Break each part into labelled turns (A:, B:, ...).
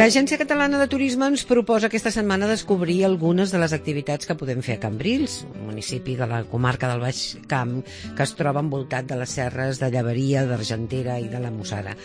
A: L'Agència Catalana de Turisme ens proposa aquesta setmana descobrir algunes de les activitats que podem fer a Cambrils, un municipi de la comarca del Baix Camp que es troba envoltat de les serres de Llaveria, d'Argentera i de la Mussara.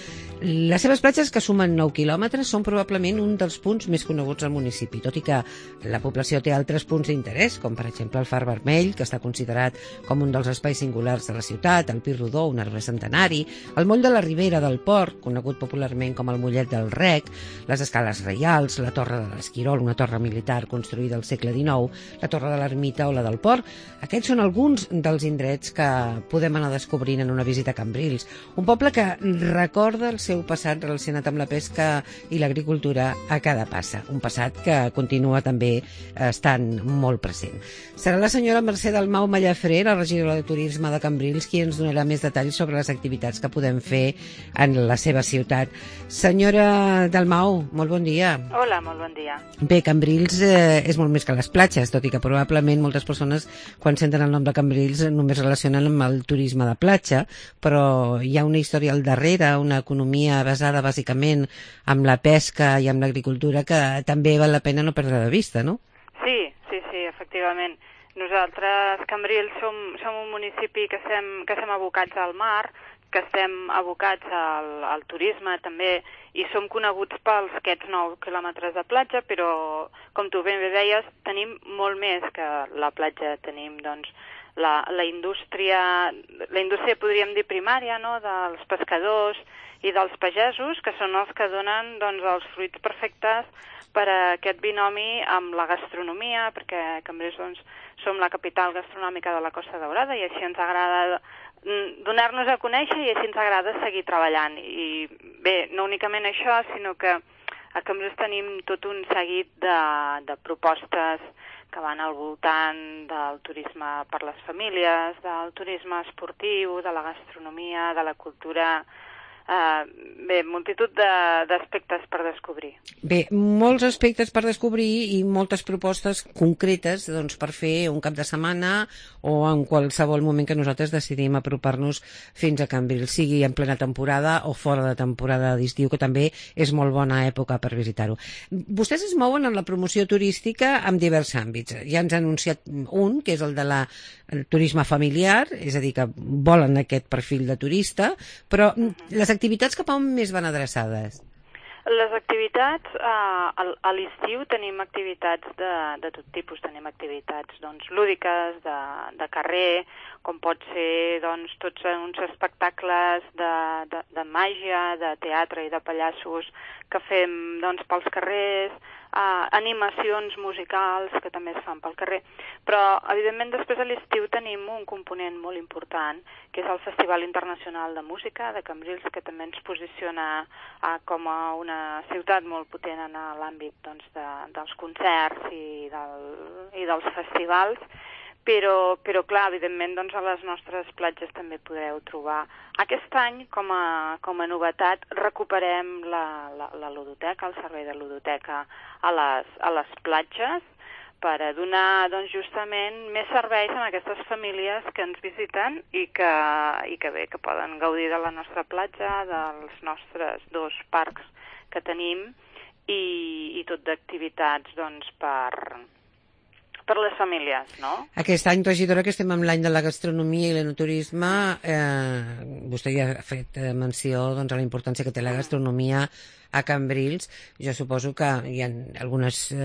A: Les seves platges, que sumen 9 quilòmetres, són probablement un dels punts més coneguts al municipi, tot i que la població té altres punts d'interès, com per exemple el Far Vermell, que està considerat com un dels espais singulars de la ciutat, el Pi Rodó, un arbre centenari, el moll de la Ribera del Port, conegut popularment com el Mollet del Rec, les Escales Reials, la Torre de l'Esquirol, una torre militar construïda al segle XIX, la Torre de l'Ermita o la del Port. Aquests són alguns dels indrets que podem anar descobrint en una visita a Cambrils, un poble que recorda el seu passat relacionat amb la pesca i l'agricultura a cada passa, un passat que continua també estant molt present. Serà la senyora Mercè Dalmau Mallafré, la regidora de Turisme de Cambrils, qui ens donarà més detalls sobre les activitats que podem fer en la seva ciutat. Senyora Dalmau, molt bon dia.
B: Hola, molt bon dia.
A: Bé, Cambrils és molt més que les platges, tot i que probablement moltes persones, quan senten el nom de Cambrils, només relacionen amb el turisme de platja, però hi ha una història al darrere, una economia basada bàsicament en la pesca i en l'agricultura que també val la pena no perdre de vista, no?
B: Sí, efectivament. Nosaltres, Cambrils, som un municipi que estem abocats al mar, que estem abocats al turisme també, i som coneguts pels aquests 9 quilòmetres de platja, però, com tu ben bé deies, tenim molt més que la platja. Tenim, doncs, la indústria podríem dir primària, no?, dels pescadors i dels pagesos, que són els que donen, doncs, els fruits perfectes per a aquest binomi amb la gastronomia, perquè a Cambrils, doncs, som la capital gastronòmica de la Costa Daurada i així ens agrada donar-nos a conèixer i així ens agrada seguir treballant. I bé, no únicament això, sinó que a Cambrils tenim tot un seguit de propostes que van al voltant del turisme per les famílies, del turisme esportiu, de la gastronomia, de la cultura. Bé, multitud d'aspectes per descobrir.
A: Bé, molts aspectes per descobrir i moltes propostes concretes, doncs, per fer un cap de setmana o en qualsevol moment que nosaltres decidim apropar-nos fins a Cambrils, sigui en plena temporada o fora de temporada d'estiu, que també és molt bona època per visitar-ho. Vostès es mouen en la promoció turística en diversos àmbits. Ja ens ha anunciat un, que és el de el turisme familiar, és a dir, que volen aquest perfil de turista, però les activitats cap a on més van adreçades?
B: Les activitats, a l'estiu tenim activitats de tot tipus. Tenim activitats, doncs, lúdiques, de carrer, com pot ser, doncs, tots uns espectacles de màgia, de teatre i de pallassos que fem, doncs, pels carrers, animacions musicals que també es fan pel carrer. Però, evidentment, després a l'estiu tenim un component molt important, que és el Festival Internacional de Música de Cambrils, que també ens posiciona com a una ciutat molt potent en l'àmbit, doncs, dels concerts i dels festivals. Però clar, evidentment, doncs, a les nostres platges també podreu trobar. Aquest any, com a novetat, recuperem la ludoteca, el servei de ludoteca a les platges, per a donar, doncs, justament més serveis a aquestes famílies que ens visiten i que bé, que poden gaudir de la nostra platja, dels nostres 2 parcs que tenim i tot d'activitats, doncs, per les famílies, no?
A: Aquest any, regidora, que estem en l'any de la gastronomia i l'enoturisme, vostè ja ha fet menció, doncs, a la importància que té la gastronomia a Cambrils. Jo suposo que hi ha algunes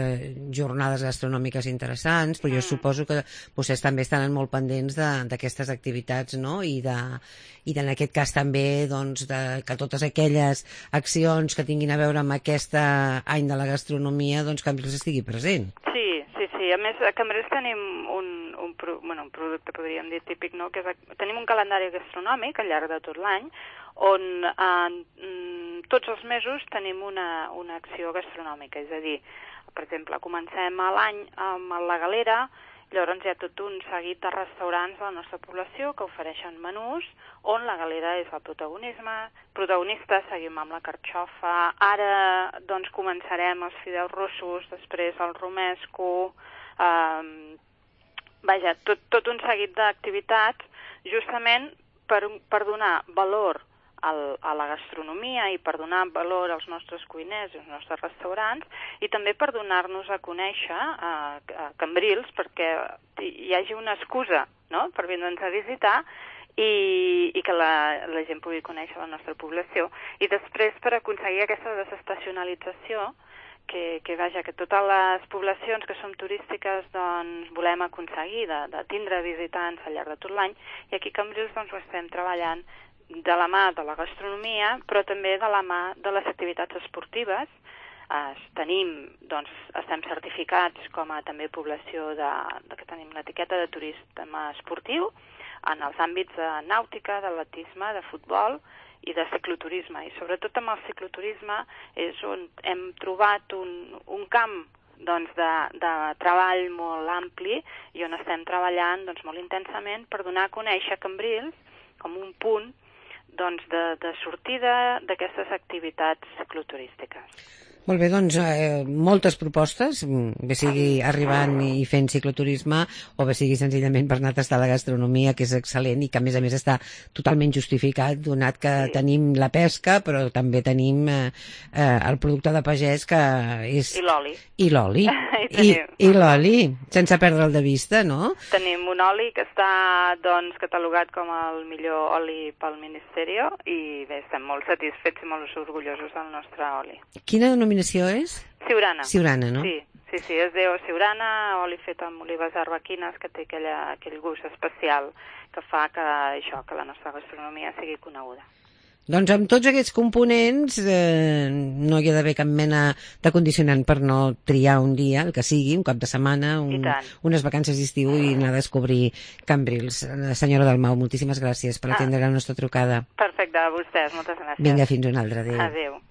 A: jornades gastronòmiques interessants, però jo suposo que vostès també estan molt pendents d'aquestes activitats, no? I en aquest cas també, doncs, que totes aquelles accions que tinguin a veure amb aquest any de la gastronomia, doncs, Cambrils estigui present.
B: Sí. A més, a Cambrils tenim un producte, podríem dir, típic, no? Que tenim un calendari gastronòmic al llarg de tot l'any, on tots els mesos tenim una acció gastronòmica. És a dir, per exemple, comencem l'any amb la Galera. Llavors hi ha tot un seguit de restaurants de la nostra població que ofereixen menús on la Galera és el protagonista, seguim amb la carxofa. Ara, doncs, començarem els fideus rossos, després el romesco, tot un seguit d'activitats justament per donar valor a la gastronomia i per donar valor als nostres cuiners i als nostres restaurants, i també per donar-nos a conèixer a Cambrils, perquè hi hagi una excusa, no?, per vindre'ns a visitar i que la gent pugui conèixer la nostra població. I després, per aconseguir aquesta desestacionalització, que totes les poblacions que som turístiques doncs, volem aconseguir de tindre visitants al llarg de tot l'any, i aquí a Cambrils doncs, ho estem treballant de la mà de la gastronomia, però també de la mà de les activitats esportives. Estem certificats com a també població que tenim l'etiqueta de turisme esportiu en els àmbits de nàutica, d'atletisme, de futbol i de cicloturisme. I sobretot amb el cicloturisme és on hem trobat un camp doncs, de treball molt ampli i on estem treballant doncs, molt intensament per donar a conèixer Cambrils com un punt doncs, de sortida d'aquestes activitats cicloturístiques.
A: Molt bé, doncs moltes propostes, bé sigui arribant i fent cicloturisme o bé sigui senzillament per anar a tastar la gastronomia, que és excel·lent i que a més està totalment justificat, donat que tenim la pesca, però també tenim el producte de pagès que és...
B: I l'oli.
A: I l'oli. I l'oli, sense perdre'l de vista, no?
B: Tenim un oli que està doncs, catalogat com el millor oli pel Ministeri i bé, estem molt satisfets i molt orgullosos del nostre oli.
A: Quina denominació és?
B: Siurana.
A: Siurana, no?
B: Sí, es diu Siurana, oli fet amb olives arbequines, que té aquell gust especial que fa que la nostra gastronomia sigui coneguda.
A: Doncs amb tots aquests components no hi ha d'haver cap mena de condicionant per no triar un dia, el que sigui, un cap de setmana, unes vacances d'estiu i anar a descobrir Cambrils. Senyora Dalmau, moltíssimes gràcies per atendre la nostra trucada.
B: Perfecte, a vostès, moltes gràcies.
A: Vinga, fins una altra. Adéu.
B: Adéu.